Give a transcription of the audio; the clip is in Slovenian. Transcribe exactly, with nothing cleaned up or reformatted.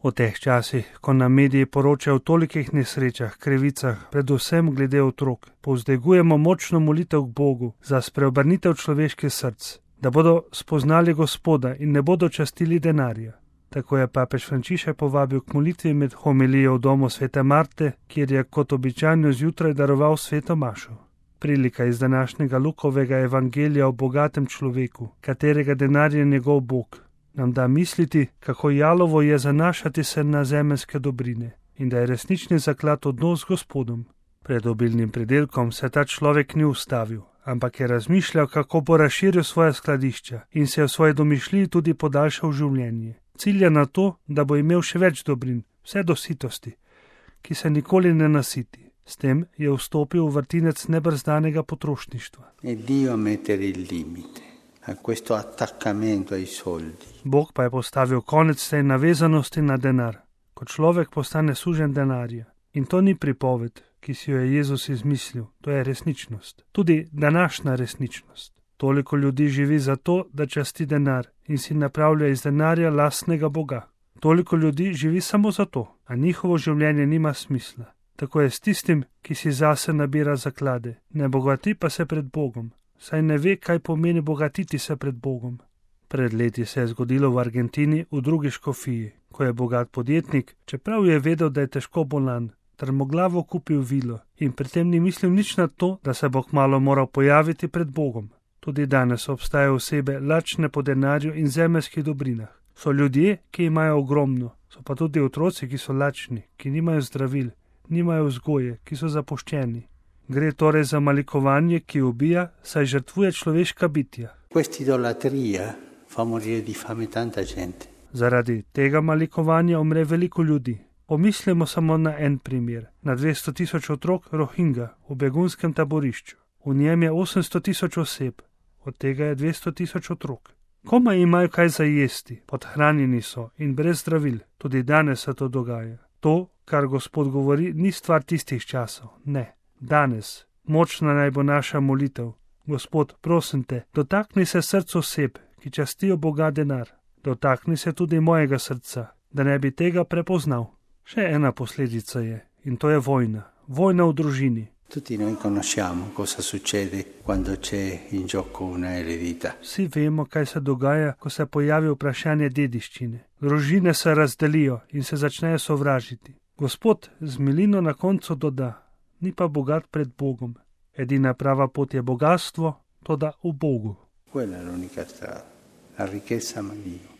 V teh časih, ko nam mediji poročajo o tolikih nesrečah, krivicah, predvsem glede otrok, povzdigujemo močno molitev k Bogu za spreobrnitev človeških src, da bodo spoznali Gospoda in ne bodo častili denarja. Tako je papež Frančišek povabil k molitvi med homilijo v domu svete Marte, kjer je kot običajno zjutraj daroval sveto mašo. Prilika iz današnjega Lukovega evangelija o bogatem človeku, katerega denar je njegov Bog, nam da misliti, kako jalovo je zanašati se na zemeljske dobrine in da je resnični zaklad odnos z Gospodom. Pred obilnim pridelkom se ta človek ni ustavil, ampak je razmišljal, kako bo razširil svoje skladišča in se je v svoji domišljiji tudi podaljšal življenje. Cilja na to, da bo imel še več dobrin, vse do sitosti, ki se nikoli ne nasiti. S tem je vstopil v vrtinec nebrzdanega potrošništva. E Dio mettere il limite a questo attaccamento ai soldi. Bog pa je postavil konec tej navezanosti na denar, ko človek postane sužen denarja. In to ni pripoved, ki si jo je Jezus izmislil, to je resničnost. Tudi današnja resničnost. Toliko ljudi živi zato, da časti denar in si napravlja iz denarja lastnega Boga. Toliko ljudi živi samo zato, a njihovo življenje nima smisla. Tako je s tistim, ki si zase nabira zaklade, ne bogati pa se pred Bogom, saj ne ve, kaj pomeni bogatiti se pred Bogom. Pred leti se je zgodilo v Argentini v drugi škofiji, ko je bogat podjetnik, čeprav je vedel, da je težko bolan, trmoglavo kupil vilo in pri tem ni mislil nič na to, da se bo kmalu moral pojaviti pred Bogom. Tudi danes obstajajo osebe lačne po denarju in zemeljskih dobrinah. So ljudje, ki imajo ogromno, so pa tudi otroci, ki so lačni, ki nimajo zdravil, nimajo vzgoje, ki so zapuščeni. Gre torej za malikovanje, ki ubija, saj žrtvuje človeška bitja. Zaradi tega malikovanja umre veliko ljudi. Pomislimo samo na en primer, na dvesto tisoč otrok Rohingja v begunskem taborišču. V njem je osemsto tisoč oseb, od tega je dvesto tisoč otrok. Komaj imajo kaj za jesti, podhranjeni so in brez zdravil, tudi danes se to dogaja. To, kar Gospod govori, ni stvar tistih časov, ne. Danes, močna naj bo naša molitev. Gospod, prosim te, dotakni se src oseb, ki častijo Boga denar. Dotakni se tudi mojega srca, da ne bi tega prepoznal. Še ena posledica je, in to je vojna. Vojna v družini. Tutti noi conosciamo cosa succede quando c'è in gioco una eredità. Vsi vemo, kaj se dogaja, ko se pojavi vprašanje dediščine. Družine se razdelijo in se začnejo sovražiti. Gospod z milino na koncu doda, ni pa bogat pred Bogom. Edina prava pot je bogatstvo, toda v Bogu. Quella è l'unica strada, la ricchezza ma Dio.